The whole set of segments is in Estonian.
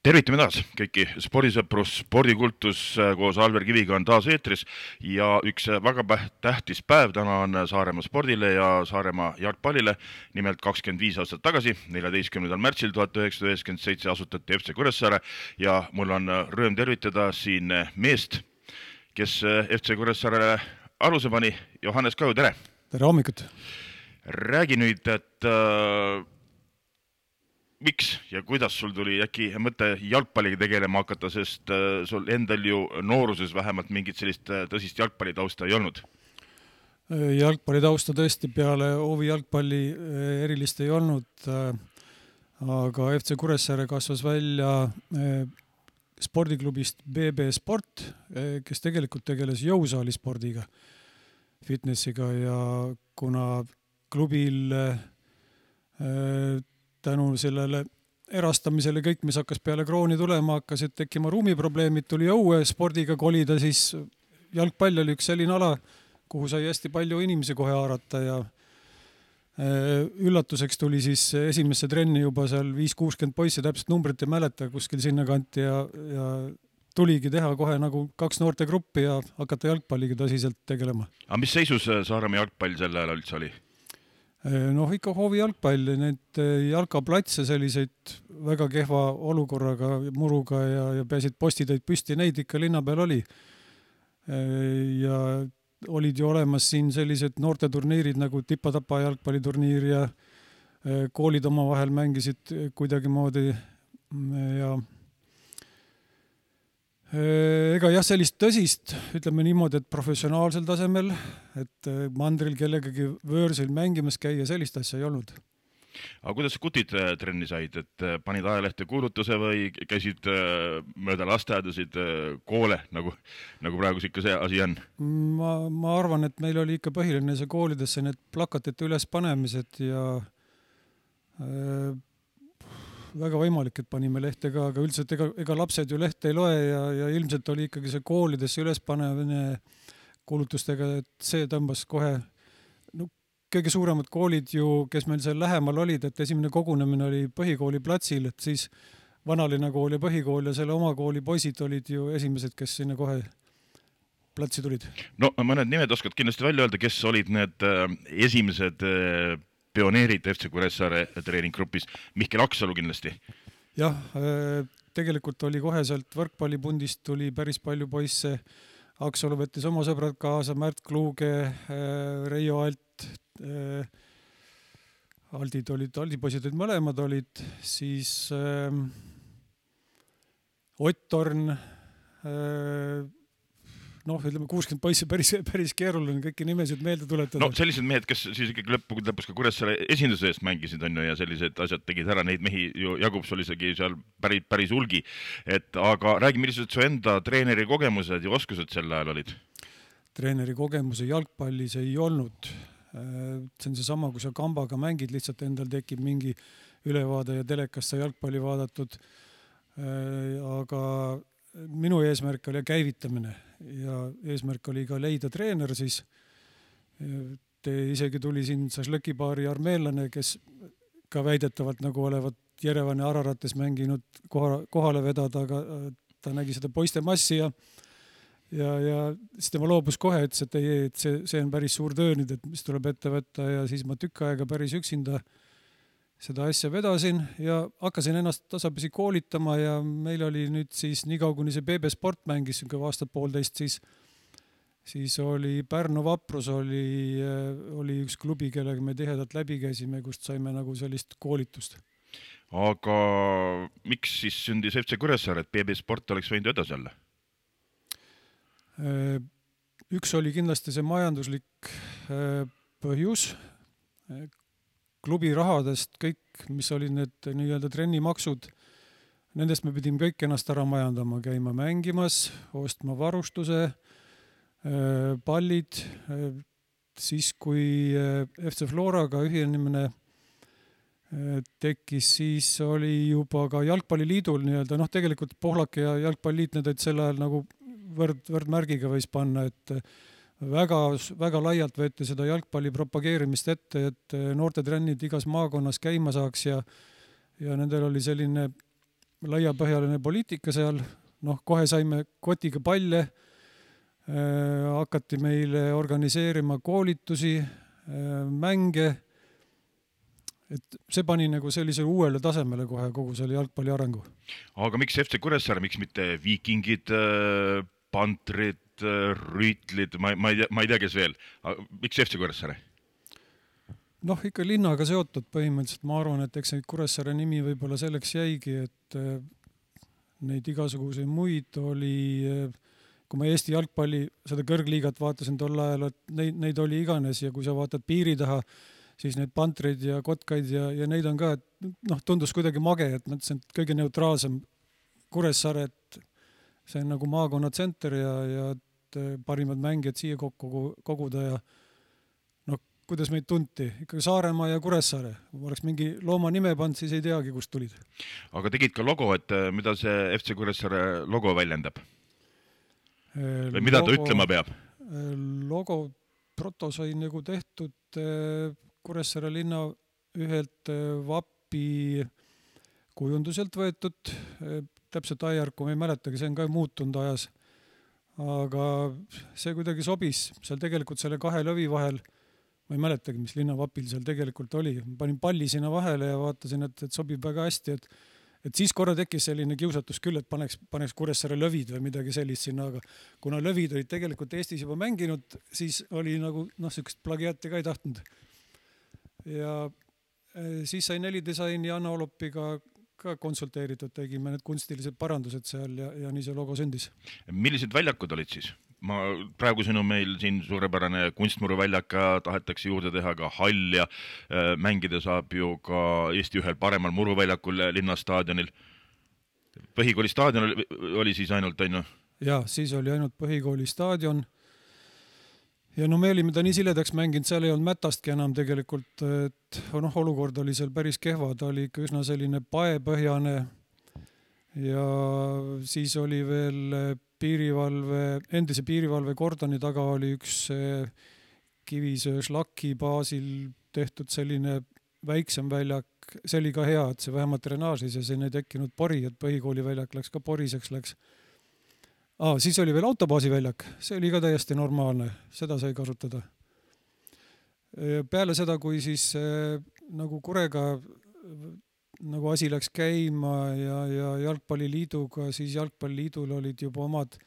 Tervitame taas kõiki spordisõprus, spordikultus koos Alver Kiviga on taas eetris ja üks väga tähtis päev täna on Saaremaa spordile ja Saaremaa jalgpallile. Nimelt 25 aastat tagasi, 14. märtsil 1997 asutati FC Kuressaare ja mul on rõõm tervitada siin meest, kes FC Kuressaarele aluse pani. Johannes Kaju, tere! Tere hommikut! Räägi nüüd, et miks ja kuidas sul tuli äkki mõte jalgpalliga tegelema hakata, sest sul endal ju nooruses vähemalt mingit sellist tõsist jalgpallitausta ei olnud? Jalgpallitausta tõesti peale Ovi jalgpalli erilist ei olnud, aga FC Kuressaare kasvas välja spordiklubist BB Sport, kes tegelikult tegeles jõusaalispordiga, fitnessiga ja kuna klubil tänu sellele erastamisele kõik, mis hakkas peale krooni tulema, hakkasid tekkima ruumiprobleemid, tuli õue spordiga kolida, siis jalgpall oli üks selline ala, kuhu sai hästi palju inimesi kohe haarata ja üllatuseks tuli siis esimesse trenni juba seal 5-60 poissi, täpselt numbrit ei mäleta, kuskil sinna kanti ja tuligi teha kohe nagu 2 noortegruppi ja hakata jalgpalliga tõsiselt tegelema. Aga mis seisus Saaremaa jalgpall sel ajal üldse oli? Ikka hoovi jalgpall, need jalkaplatse selliseid väga kehva olukorraga, muruga ja peasid postiteid püsti, neid ikka linna peal oli. Ja olid ju olemas siin sellised noorteturniirid nagu Tipa-Tapa jalgpalliturniir ja koolid oma vahel mängisid kuidagi moodi ja ega jah, sellist tõsist, ütleme niimoodi, et professionaalsel tasemel, et mandril kellegagi võõrsil mängimas käia, sellist asja ei olnud. Aga kuidas kutid trenni said, et panid ajalehte kuulutuse või käisid mööda lasteaedasid koole, nagu praegu ikka see asi on? Ma arvan, et meil oli ikka põhiline see koolidesse need plakatite üles panemised ja väga võimalik, et panime lehte ka, aga üldiselt ega lapsed ju lehte ei loe ja ilmselt oli ikkagi see koolidesse üles panemine kuulutustega, et see tõmbas kohe kõige suuremad koolid ju, kes meil seal lähemal olid, et esimene kogunemine oli põhikooli platsil, et siis vanalinna kool ja põhikool ja selle oma kooli poisid olid ju esimesed, kes sinna kohe platsi tulid. No mõned nimed oskad kindlasti välja öelda, kes olid need esimesed pioneerid FC Kuressaare treeninggrupis? Mihkel Aksalu kindlasti. Jah, tegelikult oli kohe sealt võrkpallipundist tuli päris palju poisse. Aksalu võttis oma sõbrad kaasa, Märt Kluuge, Reijo Alt, Aldi poisid olid mõlemad olid, siis Ott Torn, ütleme 60 poissi päris keeruline kõiki nimesid meelde tuletada. No sellised mehed, kes siis ikkagi lõpus ka Kuressaare esinduse eest mängisid on ju ja sellised asjad tegid ära, neid mehi ju jagub sul isegi seal päris hulgi. Aga räägi, millised su enda treeneri kogemused ja oskused sel ajal olid? Treeneri kogemuse jalgpallis ei olnud. See on seesama, kui sa kambaga mängid, lihtsalt endal tekib mingi ülevaade ja telekast sa jalgpalli vaadatud. Aga minu eesmärk oli käivitamine ja eesmärk oli ka leida treener siis. Isegi tuli siin Sašlõkipaari armeellane, kes ka väidetavalt nagu olevat Jerevani Ararates mänginud kohale vedada, aga ta nägi seda poiste massi ja siis tema loobus kohe, et see on päris suur töö nüüd, et mis tuleb ette võtta ja siis ma tükk aega päris üksinda seda asja vedasin ja hakkasin ennast tasapisi koolitama ja meil oli nüüd siis nii kuni see BB Sport mängis aastat poolteist, siis oli Pärnu Vaprus oli üks klubi, kellega me tihedalt läbi käisime, kust saime nagu sellist koolitust. Aga miks siis sündis FC Kuressaare, et BB Sport oleks võinud edasi olla? Üks oli kindlasti see majanduslik põhjus. Klubi rahadest kõik, mis olid need nii-öelda trennimaksud, nendest me pidime kõik ennast ära majandama, käima mängimas, ostma varustuse, pallid. Siis, kui FC Floraga ühinemine tekkis, siis oli juba ka jalgpalliliidul nii-öelda, tegelikult Pohlak ja jalgpalliliit, need olid sel ajal nagu võrdmärgiga võis panna, et väga laialt võeti seda jalgpalli propageerimist ette, et noortetrennid igas maakonnas käima saaks ja nendel oli selline laiapõhjaline poliitika seal, kohe saime kotiga palle, hakati meile organiseerima koolitusi, mänge, et see pani nagu sellise uuele tasemele kohe kogu selle jalgpalli arengu. Aga miks FC Kuressaare, miks mitte Viikingid, Pantrid, Rüütlid, ma ei tea, kes veel. Miks FC Kuressaare? Ikka linnaga seotud põhimõtteliselt. Ma arvan, et eks Kuressaare nimi võib-olla selleks jäigi, et neid igasuguseid muid oli, kui ma Eesti jalgpalli, seda kõrgliigat vaatasin tol ajal, et neid oli iganes ja kui sa vaatad piiri taha, siis need Pantreid ja Kotkaid ja neid on ka, et tundus kuidagi mage, et mõtlesin, et kõige neutraalsem Kuressaare, et see on nagu maakonna tsenter ja parimad mängijad siia koguda ja kuidas meid tunti. Ikka Saaremaa ja Kuressaare. Kui oleks mingi looma nime pand, siis ei teagi, kust tulid. Aga tegid ka logo, et mida see FC Kuressaare logo väljendab? Või mida ta ütlema peab? Logo proto sai nagu tehtud Kuressaare linna ühelt vapi kujunduselt võetud. Täpselt ajärku ma ei mäletagi, see on ka muutunud ajas. Aga see kuidagi sobis. Seal tegelikult selle kahe lõvi vahel, ma ei mäletagi, mis linnavapil seal tegelikult oli. Panin palli sinna vahele ja vaatasin, et sobib väga hästi. Et siis korra tekkis selline kiusatus küll, et paneks Kuressaare lõvid või midagi sellist sinna, aga kuna lõvid olid tegelikult Eestis juba mänginud, siis oli nagu sükest plagiaati ka ei tahtnud. Ja siis sai Nelidisain ja Anna Olopiga ka konsulteeritud, tegime need kunstilised parandused seal ja nii see logo sündis. Millised väljakud olid siis? Praegu siin on meil siin suurepärane kunstmuruväljaka, tahetakse juurde teha ka hall ja mängida saab ju ka Eesti ühel paremal muruväljakul linnastaadionil. Põhikooli staadion oli siis ainult, on ju? Jaa, siis oli ainult põhikooli staadion. Ja me olime ta nii siledaks mänginud, seal ei olnud mätastki enam tegelikult, et olukord oli seal päris kehva, ta oli ikka üsna selline paepõhjane ja siis oli veel endise piirivalve kordoni taga oli üks Kivisöö šlaki baasil tehtud selline väiksem väljak, see oli ka hea, et see vähemalt drenaažis ja siin ei tekkinud pori, et põhikooli väljak läks ka poriseks läks. Siis oli veel autobaasi väljak, see oli ka täiesti normaalne, seda sai kasutada. Peale seda, kui siis nagu Kurega nagu asi läks käima ja jalgpalliliiduga, siis jalgpalliliidul olid juba omad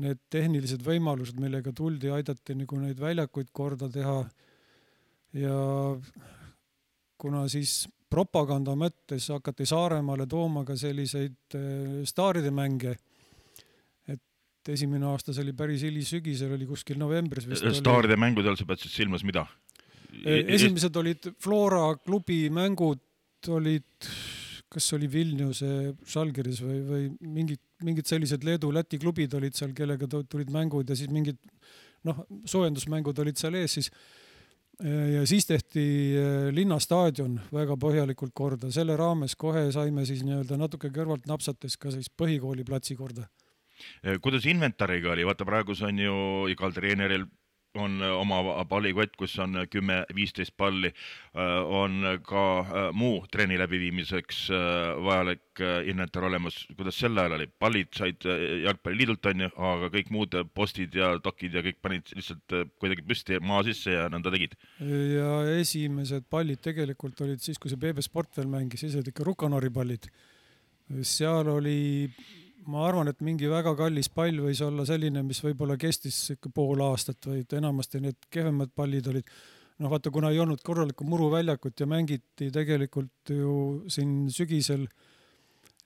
need tehnilised võimalused, millega tuldi, aidati nagu neid väljakuid korda teha. Ja kuna siis propaganda mõttes hakati Saaremaale tooma ka selliseid staaride mänge, et esimene aasta see oli päris hilisügisel, oli kuskil novembris. Staaride mängud all sa pead siis silmas mida? Esimesed olid Flora klubi mängud, olid, kas oli Vilniuse Žalgiris või mingid sellised Leedu-Läti klubid olid seal, kellega tulid mängud ja siis mingid soojendusmängud olid seal ees siis. Ja siis tehti linnastaadion väga põhjalikult korda. Selle raames kohe saime siis natuke kõrvalt napsates ka siis põhikooli platsi korda. Kuidas inventariga oli? Vaata praegu on ju igal treeneril on oma pallikott, kus on 10-15 palli, on ka muu treeni läbiviimiseks vajalik inventar olemas. Kuidas sel ajal oli? Pallid said jalgpalliliidult on ju, aga kõik muud postid ja dokid ja kõik panid lihtsalt kuidagi püsti maa sisse ja nõnda tegid. Ja esimesed pallid tegelikult olid siis, kui see BB Sport veel mängis, siis olid ikka Rukanori pallid. Seal oli... Ma arvan, et mingi väga kallis pall võis olla selline, mis võib-olla kestis pool aastat või enamasti need kehvemad pallid olid. Vaata, kuna ei olnud korralikku muruväljakut ja mängiti tegelikult ju siin sügisel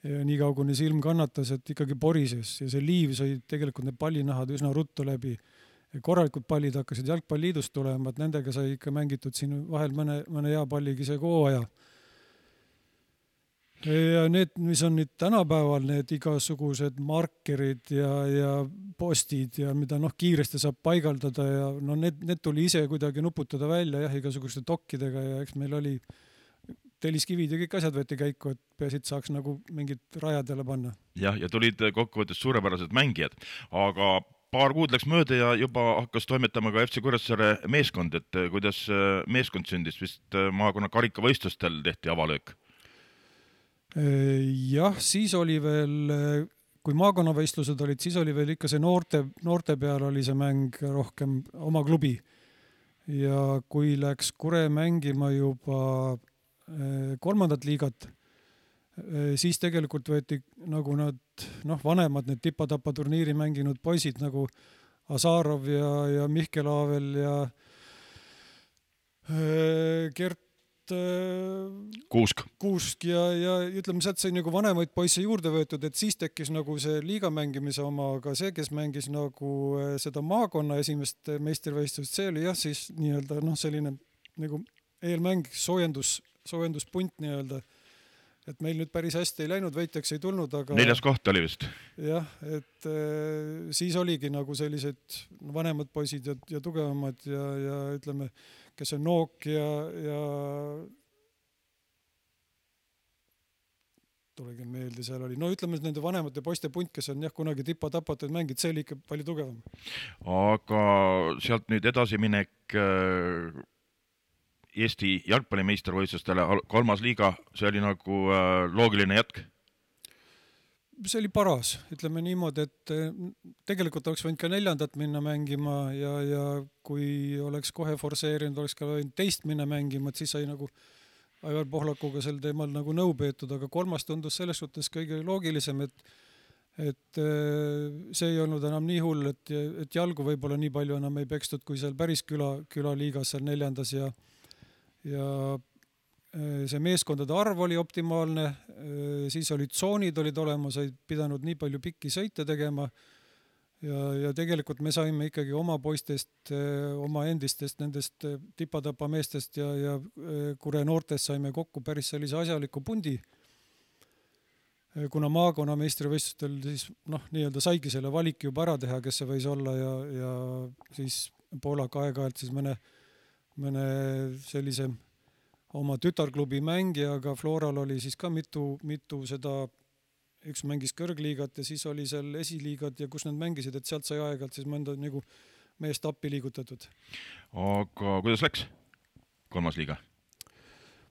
nii kauguni silm kannatas, et ikkagi porises ja see liiv sai tegelikult need pallinahad üsna ruttu läbi. Korralikud pallid hakkasid jalgpalliliidust tulema, et nendega sai ikka mängitud siin vahel mõne hea palligi see kooaja. Ja need, mis on nüüd tänapäeval, need igasugused markerid ja postid ja mida kiiresti saab paigaldada ja need tuli ise kuidagi nuputada välja igasuguste dokkidega ja eks meil oli telliskivid ja kõik asjad võeti käiku, et peasid saaks nagu mingid rajadele panna. Ja tulid kokkuvõttes suurepärased mängijad, aga paar kuud läks mööda ja juba hakkas toimetama ka FC Kuressaare meeskond, et kuidas meeskond sündis, vist maakonna karikavõistlustel tehti avalöök? Jah, siis oli veel, kui maakonnavõistlused olid, siis oli veel ikka see noorte peal oli see mäng rohkem oma klubi. Ja kui läks Kure mängima juba kolmandat liigat, siis tegelikult võeti nagu nad vanemad, need tipa-tapa turniiri mänginud poisid nagu Azarov ja Mihkel Aavel ja Gert Kuusk ja ütleme, sealt sai nagu vanemaid poisse juurde võetud, et siis tekkis nagu see liiga mängimise oma, aga see, kes mängis nagu seda maakonna esimest meistrivõistlust, see oli jah siis nii-öelda selline nagu eelmäng, soojenduspunt nii-öelda. Et meil nüüd päris hästi ei läinud, võitjaks ei tulnud, aga 4. koht oli vist. Jah, et siis oligi nagu sellised vanemad poisid ja tugevamad ja ütleme, kes on Nook ja tulegi meelde, seal oli, ütleme nende vanemate poiste punt, kes on jah kunagi tipa-tapatud mängid, see oli ikka palju tugevam. Aga sealt nüüd edasiminek Eesti jalgpallimeistrivõistlustele 3. liiga, see oli nagu loogiline jätk? See oli paras, ütleme niimoodi, et tegelikult oleks võinud ka 4. minna mängima ja kui oleks kohe forseerinud, oleks ka võinud teist minna mängima, et siis sai nagu Aivar Pohlakuga sel teemal nagu nõu peetud, aga 3. tundus selles suhtes kõige loogilisem, et see ei olnud enam nii hull, et jalgu võib-olla nii palju enam ei pekstud, kui seal päris külaliigas seal 4. ja see meeskondade arv oli optimaalne, siis olid tsoonid olid olemas, ei pidanud nii palju pikki sõite tegema ja tegelikult me saime ikkagi oma poistest, oma endistest nendest tipa-tapa meestest ja Kure noortest saime kokku päris sellise asjaliku pundi. Kuna maakonna meistrivõistlustel siis nii-öelda saigi selle valiki juba ära teha, kes see võis olla ja siis Poolak aeg-ajalt siis mõne sellise oma tütarklubi mängijaga, Floral oli siis ka mitu seda, üks mängis kõrgliigat ja siis oli seal esiliigad ja kus nad mängisid, et sealt sai aeg-ajalt siis mõnda nagu meest appi liigutatud. Aga kuidas läks 3. liiga?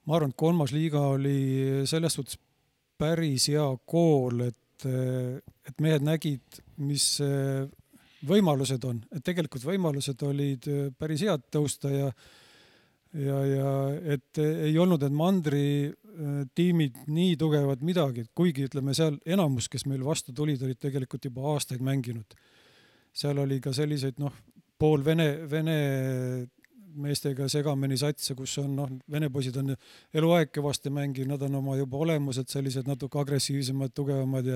Ma arvan, et 3. liiga oli selles suhtes päris hea kool, et mehed nägid, mis võimalused on, et tegelikult võimalused olid päris head tõusta ja et ei olnud need mandri tiimid nii tugevad midagi, kuigi ütleme seal enamus, kes meil vastu tulid, olid tegelikult juba aastaid mänginud. Seal oli ka selliseid pool vene meestega segameni satse, kus on vene poisid on eluaeg kõvasti mänginud, nad on oma juba olemused sellised natuke agressiivsemad, tugevamad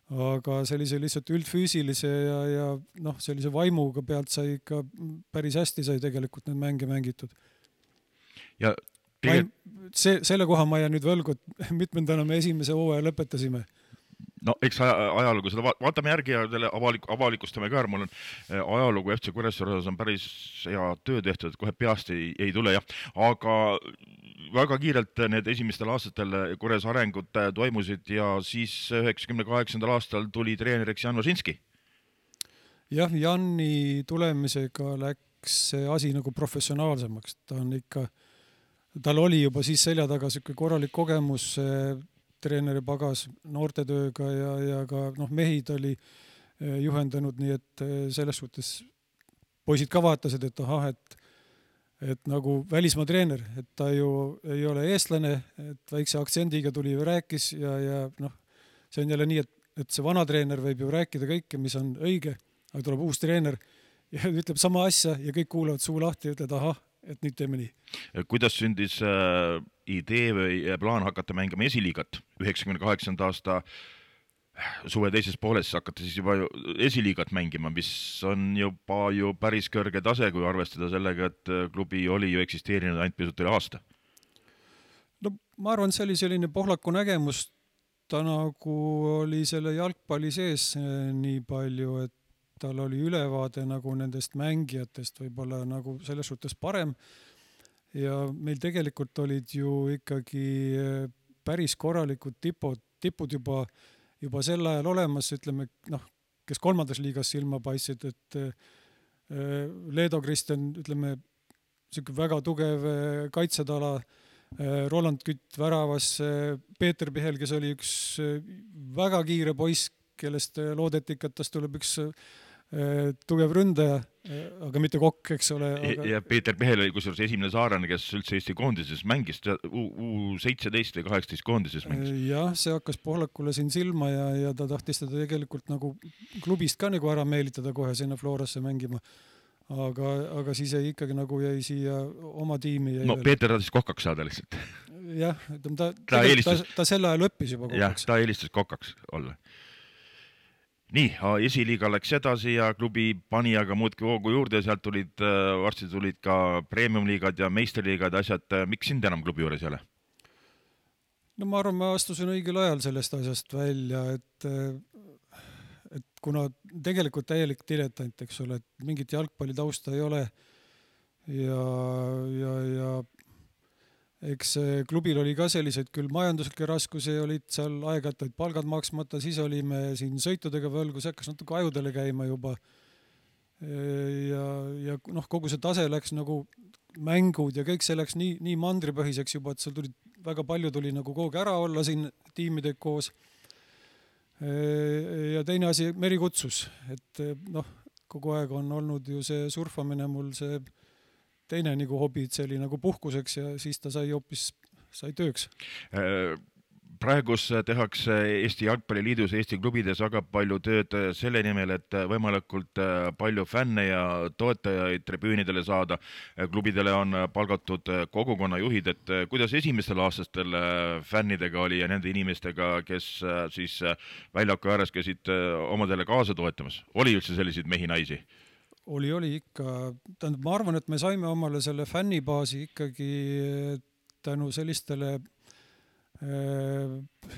aga sellise lihtsalt üldfüüsilise ja sellise vaimuga pealt sai ikka päris hästi sai tegelikult need mänge mängitud. Ja selle koha ma jään nüüd võlgu, et mitmendana me esimese hooaja lõpetasime. Eks ajalugu seda vaatame järgi ja avalikustame ka, mul on ajalugu FC Kuressaare on päris hea töö tehtud, et kohe peast ei tule jah, aga väga kiirelt need esimestel aastatel Kures arengud toimusid ja siis 98. aastal tuli treeneriks Jan Važinski. Jah, Janni tulemisega läks see asi nagu professionaalsemaks, tal oli juba siis selja taga selline korralik kogemus treeneri pagas noortetööga ja ka mehid oli juhendanud, nii et selles suhtes poisid ka vaatasid, et nagu välismaa treener, et ta ju ei ole eestlane, et väikse aktsendiga tuli ja rääkis ja see on jälle nii, et see vana treener võib ju rääkida kõike, mis on õige, aga tuleb uus treener ja ütleb sama asja ja kõik kuulavad suu lahti ja ütled et nüüd teeme nii. Kuidas sündis idee või plaan hakata mängima esiliigat? 98. aasta suve teises pooles hakata siis juba esiliigat mängima, mis on juba ju päris kõrge tase, kui arvestada sellega, et klubi oli ju eksisteerinud ainult pisut üle aasta. Ma arvan, see oli selline Pohlaku nägemus, ta nagu oli selle jalgpalli sees nii palju, et tal oli ülevaade nagu nendest mängijatest võib-olla nagu selles suhtes parem ja meil tegelikult olid ju ikkagi päris korralikud tipud juba sel ajal olemas, ütleme, kes 3. liigas silma paistsid, et Leedo Kristjan, ütleme, väga tugev kaitsetala Roland Kütt väravas, Peeter Pihel, kes oli üks väga kiire poiss, kellest loodeti ikka, et tast tuleb üks tugev ründaja, aga mitte kokk, eks ole. Ja Peeter Pihel oli kusjuures esimene saarlane, kes üldse Eesti koondises mängis, U17 või 18 koondises mängis. Jah, see hakkas Pohlakule siin silma ja ta tahtis teda tegelikult nagu klubist ka nagu ära meelitada kohe sinna Florasse mängima. Aga siis ikkagi nagu jäi siia oma tiimi. No Peeter tahtis kokaks saada lihtsalt. Jah, ta sel ajal õppis juba kokaks. Jah, ta eelistas kokaks olla. Nii, esiliiga läks edasi ja klubi pani aga muudki hoogu juurde, sealt varsti tulid ka premiumliigad ja meisterliigad asjad. Miks sind enam klubi juures ei ole? No ma arvan, ma astusin õigel ajal sellest asjast välja, et kuna tegelikult täielik diletant, eks ole, et mingit jalgpalli tausta ei ole ja eks klubil oli ka selliseid küll majanduslikke raskusi, olid seal aeg-ajalt olid palgad maksmata, siis olime siin sõitudega võlgu, see hakkas natuke ajudele käima juba ja kogu see tase läks nagu mängud ja kõik see läks nii mandripõhiseks juba, et seal väga palju tuli nagu kogu ära olla siin tiimidega koos. Ja teine asi, meri kutsus, et kogu aeg on olnud ju see surfamine mul see teine nagu hobi, see oli nagu puhkuseks ja siis ta sai tööks. Praegus tehakse Eesti Jalgpalliliidus, Eesti klubides väga palju tööd selle nimel, et võimalikult palju fänne ja toetajaid tribüünidele saada. Klubidele on palgatud kogukonnajuhid, et kuidas esimestel aastastel fännidega oli ja nende inimestega, kes siis väljaku ääres käisid omadele kaasa toetamas? Oli üldse selliseid mehi-naisi? Oli ikka. Ma arvan, et me saime omale selle fännibaasi ikkagi tänu sellistele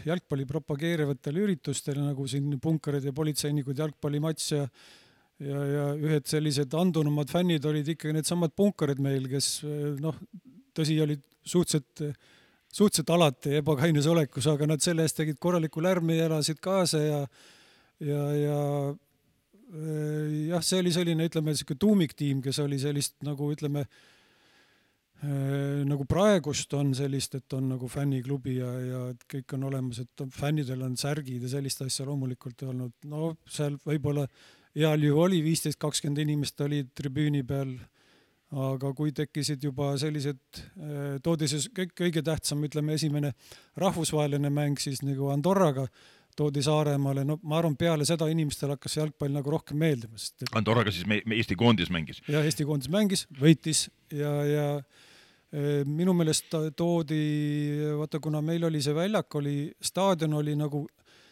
jalgpalli propageerivatele üritustele, nagu siin punkarid ja politseinikud jalgpallimats ja ühed sellised andunumad fännid olid ikkagi need samad punkarid meil, kes tõsi olid suhteliselt alati ebakainis olekus, aga nad selle eest tegid korraliku lärmi ja elasid kaasa ja see oli selline, ütleme, tuumiktiim, kes oli sellist nagu, ütleme, nagu praegust on sellist, et on nagu fänniklubi ja kõik on olemas, et fännidel on särgid ja sellist asja loomulikult olnud. No seal võib-olla heal ju oli 15-20 inimest oli tribüüni peal, aga kui tekkisid juba sellised, toodi see kõige tähtsam, ütleme, esimene rahvusvaheline mäng siis nagu Andorraga toodi Saaremaale, ma arvan, peale seda inimestel hakkas jalgpall nagu rohkem meeldima. Andorraga siis Eesti koondis mängis? Ja Eesti koondis mängis, võitis ja minu meelest toodi, vaata, kuna meil oli see väljak, staadion oli nagu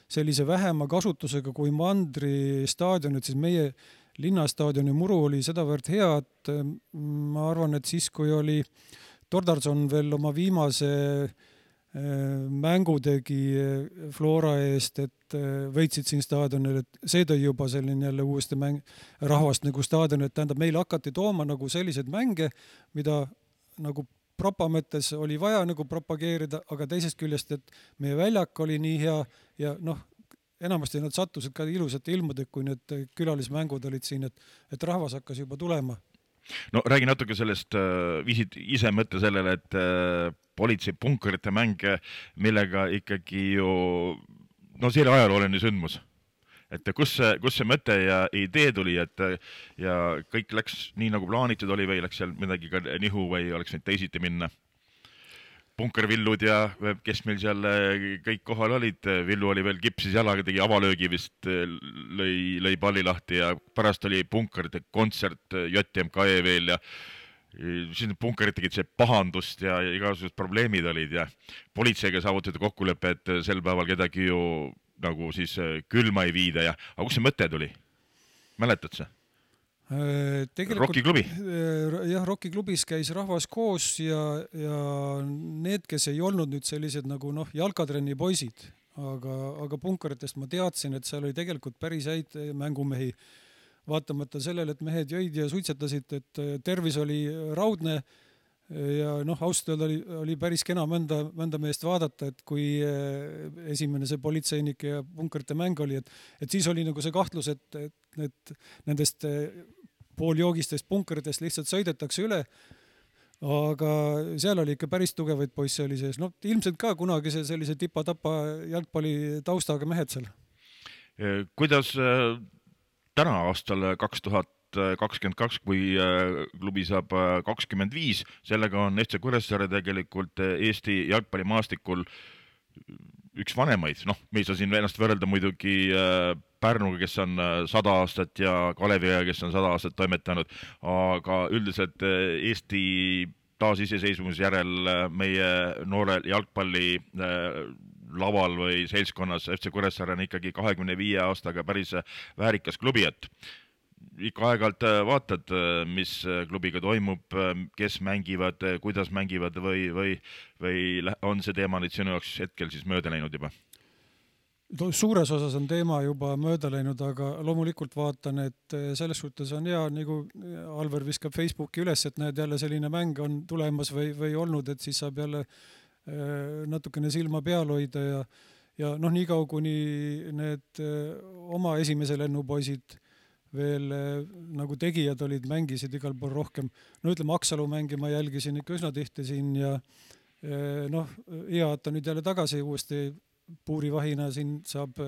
sellise vähema kasutusega kui Mandri staadion, et siis meie linnastaadioni muru oli sedavõrd hea, et ma arvan, et siis, kui oli Tordarson veel oma viimase mängu tegi Flora eest, et võitsid siin staadionil, et see tõi juba selline jälle uuesti rahvast nagu staadion, et tähendab, meil hakati tooma nagu selliseid mänge, mida nagu propa mõttes oli vaja nagu propageerida, aga teisest küljest, et meie väljak oli nii hea ja enamasti nad sattusid ka ilusate ilmude, kui need külalismängud olid siin, et rahvas hakkas juba tulema. No räägi natuke sellest, viisid ise mõtte sellele, et politsei punkarite mäng, millega ikkagi ju, see oli ajalooline sündmus. Et kus see mõte ja idee tuli, ja kõik läks nii nagu plaanitud oli või läks seal midagi ka nihu või oleks neid teisiti minna. Punkervillud ja kes meil seal kõik kohal olid, Villu oli veel kipsis jalaga, tegi avalöögi vist, lõi palli lahti ja pärast oli punkerite kontsert JMKE veel ja siis need punkerid tegid see pahandust ja igasugused probleemid olid ja politseiga saavutati kokkulepe, et sel päeval kedagi ju nagu siis külma ei viida ja, aga kus see mõte tuli? Mäletad sa? Rocki klubi? Jah, Rocki klubis käis rahvas koos ja need, kes ei olnud nüüd sellised nagu jalkatrenni poisid, aga punkaritest ma teadsin, et seal oli tegelikult päris häid mängumehi, vaatamata sellele, et mehed jõid ja suitsetasid, et tervis oli raudne ja ausalt öelda oli päris kena mõnda meest vaadata, et kui esimene see politseinik ja punkarite mäng oli, et siis oli nagu see kahtlus, et nendest pooljoogistest punkaritest lihtsalt sõidetakse üle, aga seal oli ikka päris tugevaid poisse oli sees. No ilmselt ka kunagi sellise tipa-tapa jalgpalli taustaga mehed seal. Kuidas täna aastal 2022, kui klubi saab 25, sellega on FC Kuressaare tegelikult Eesti jalgpallimaastikul üks vanemaid, noh, me ei saa siin ennast võrrelda muidugi Pärnuga, kes on 100 aastat ja Kaleviga, kes on 100 aastat toimetanud, aga üldiselt Eesti taasiseseisvumise järel meie noore jalgpalli laval või seltskonnas FC Kuressaare on ikkagi 25 aastaga päris väärikas klubi, et ikka aeg-ajalt vaatad, mis klubiga toimub, kes mängivad, kuidas mängivad või on see teema nüüd sinu jaoks hetkel siis mööda läinud juba? Suures osas on teema juba mööda läinud, aga loomulikult vaatan, et selles suhtes on hea, nagu Alver viskab Facebooki üles, et näed, jälle selline mäng on tulemas või olnud, et siis saab jälle natukene silma peal hoida ja noh, niikaua kuni need oma esimese lennupoisid veel nagu tegijad olid, mängisid igal pool rohkem. No ütleme, Aksalu mängi ma jälgisin ikka üsna tihti siin ja noh, hea, et ta nüüd jälle tagasi uuesti puurivahina siin saab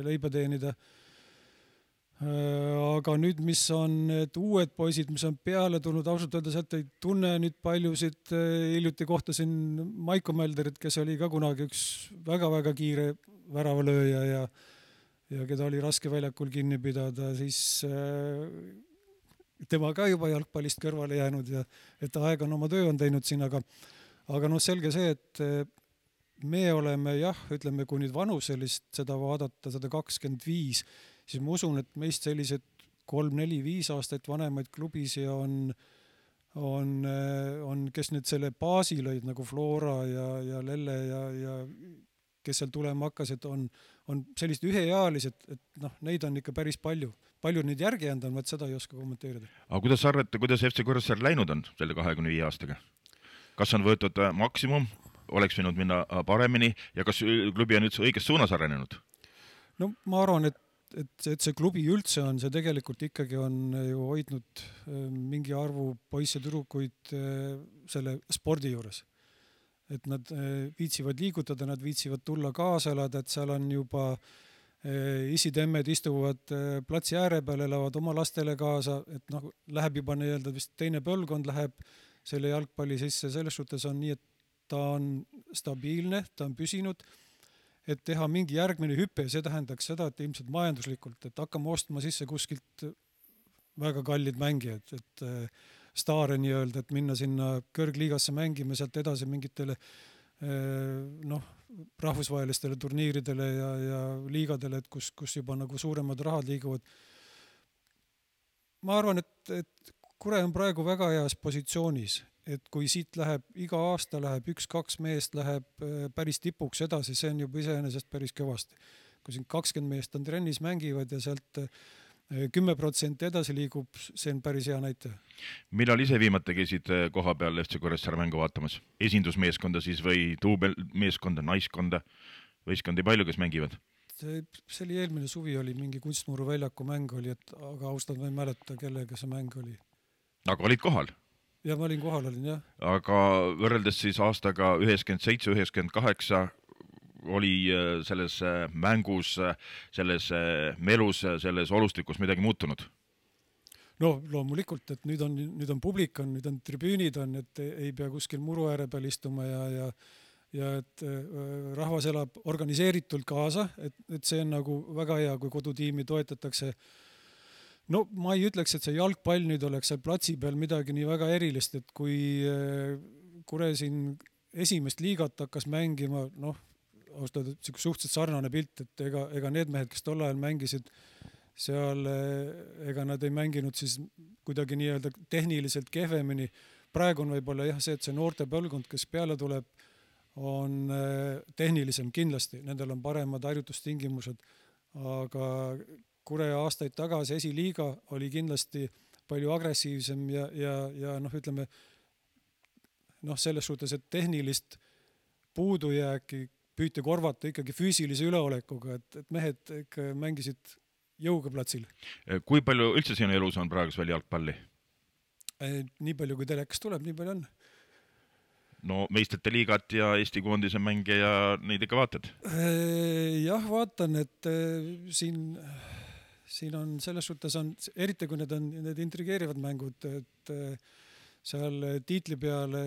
leiba teenida. Aga nüüd, mis on need uued poisid, mis on peale tulnud, ausalt öelda sealt ei tunne nüüd paljusid. Hiljuti kohtasin Maiko Mälderit, kes oli ka kunagi üks väga-väga kiire väravalööja ja keda oli raske väljakul kinni pidada, siis tema ka juba jalgpallist kõrvale jäänud ja et aeg on oma töö on teinud siin, aga noh, selge see, et me oleme jah, ütleme, kui nüüd vanuselist seda vaadata, 125, siis ma usun, et meist sellised 3-4-5 aastat vanemaid klubisi on, kes nüüd selle baasi lõid nagu Flora ja Lelle ja kes seal tulema hakkasid, on sellist üheealised, et noh, neid on ikka päris palju. Palju neid järgi jäänud on, seda ei oska kommenteerida. Aga kuidas sa arvad, kuidas FC Kuressaare läinud on selle 25 aastaga? Kas on võetud maksimum, oleks võinud minna paremini ja kas klubi on üldse õiges suunas arenenud? No ma arvan, et see klubi üldse on, see tegelikult ikkagi on ju hoidnud mingi arvu poisse tüdrukuid selle spordi juures. Et nad viitsivad liigutada, nad viitsivad tulla kaasa elada, et seal on juba isitemmed istuvad platsi ääre peal, elavad oma lastele kaasa, et noh, läheb juba nii-öelda vist teine põlvkond läheb selle jalgpalli sisse, selles suhtes on nii, et ta on stabiilne, ta on püsinud, et teha mingi järgmine hüpe ja see tähendaks seda, et ilmselt majanduslikult, et hakkame ostma sisse kuskilt väga kallid mängijad, et staare nii-öelda, et minna sinna kõrgliigasse mängima, sealt edasi mingitele noh, rahvusvahelistele turniiridele ja liigadele, et kus juba nagu suuremad rahad liiguvad. Ma arvan, et Kure on praegu väga heas positsioonis, et kui siit läheb, iga aasta läheb 1-2 meest läheb päris tipuks edasi, see on juba iseenesest päris kõvasti. Kui siin 20 meest on trennis mängivad ja sealt 10% edasi liigub, see on päris hea näitaja. Millal ise viimati käisid koha peal FC Kuressaare mängu vaatamas? Esindusmeeskonda siis või duubelmeeskonda, naiskonda, võistkondi palju, kes mängivad? See oli eelmine suvi, oli mingi Kunstmuru väljaku mäng oli, aga ausalt ma ei mäleta, kellega see mäng oli. Aga olid kohal? Ja ma olin kohal, jah. Aga võrreldes siis aastaga 97-98 oli selles mängus, selles melus, selles olustikus midagi muutunud? No loomulikult, et nüüd on publik, nüüd on tribüünid, et ei pea kuskil muru ääre peal istuma ja et rahvas elab organiseeritult kaasa, et see on nagu väga hea, kui kodutiimi toetatakse. No ma ei ütleks, et see jalgpall nüüd oleks seal platsi peal midagi nii väga erilist, et kui Kure siin esimest liigat hakkas mängima, noh, austada suhteliselt sarnane pilt, et ega need mehed, kes tol ajal mängisid seal, ega nad ei mänginud siis kuidagi nii-öelda tehniliselt kehvemini. Praegu on võib-olla jah see, et see noorte põlvkond, kes peale tuleb, on tehnilisem kindlasti, nendel on paremad harjutustingimused, aga Kure aastaid tagasi esiliiga oli kindlasti palju agressiivsem ja noh, ütleme noh, selles suhtes, et tehnilist puudujääki püüti korvata ikkagi füüsilise üleolekuga, et mehed ikka mängisid jõuga platsil. Kui palju üldse sinu elus on praegu veel jalgpalli? Nii palju, kui telekas tuleb, nii palju on. no meistrite liigat ja Eesti koondise mänge ja neid ikka vaatad? Jah, vaatan, et siin on selles suhtes on, eriti kui need intrigeerivad mängud, et seal tiitli peale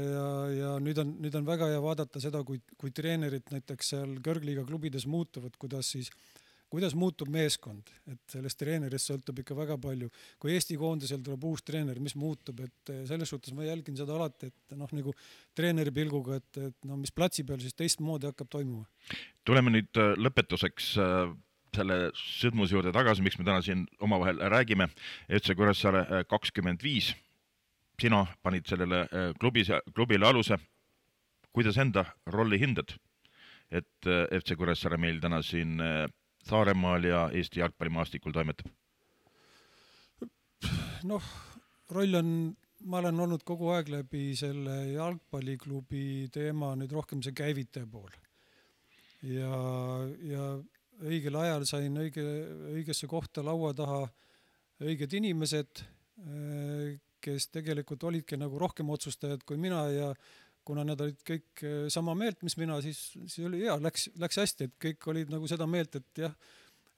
ja nüüd on väga hea vaadata seda, kui treenerid näiteks seal kõrgliiga klubides muutuvad, kuidas muutub meeskond, et sellest treenerist sõltub ikka väga palju. Kui Eesti koondisel tuleb uus treener, mis muutub, et selles suhtes ma jälgin seda alati, et nagu treeneri pilguga, et mis platsi peal siis teistmoodi hakkab toimuma. Tuleme nüüd lõpetuseks selle sündmuse juurde tagasi, miks me täna siin omavahel räägime. FC Kuressaare 25. Sina panid sellele klubile aluse. Kuidas enda rolli hindad, et FC Kuressaare meil täna siin Saaremaal ja Eesti jalgpallimaastikul toimetab? Roll on, ma olen olnud kogu aeg läbi selle jalgpalliklubi teema nüüd rohkem see käivitaja pool. Ja õigel ajal sain õigesse kohta laua taha õiged inimesed, kes tegelikult olidki nagu rohkem otsustajad kui mina ja kuna nad olid kõik sama meelt, mis mina, siis oli hea, läks hästi, et kõik olid nagu seda meelt, et jah,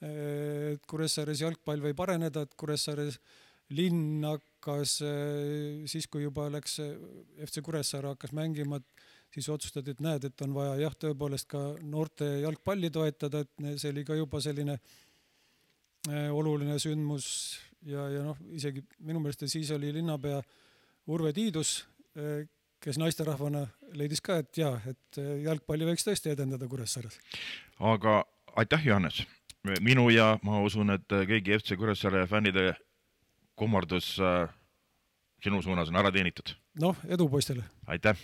et Kuressaares jalgpall võib areneda, et Kuressaares linn hakkas, siis kui juba läks FC Kuressaare hakkas mängima, siis otsustati, et näed, et on vaja jah, tõepoolest ka noorte jalgpalli toetada, et see oli ka juba selline oluline sündmus ja isegi minu meelest siis oli linnapea Urve Tiidus, kes naisterahvana leidis ka, et jah, et jalgpalli võiks tõesti edendada Kuressaares. Aga aitäh, Johannes. Minu ja ma usun, et kõigi FC Kuressaare fännide kummardus sinu suunas on ära teenitud. Edu poistele. Aitäh.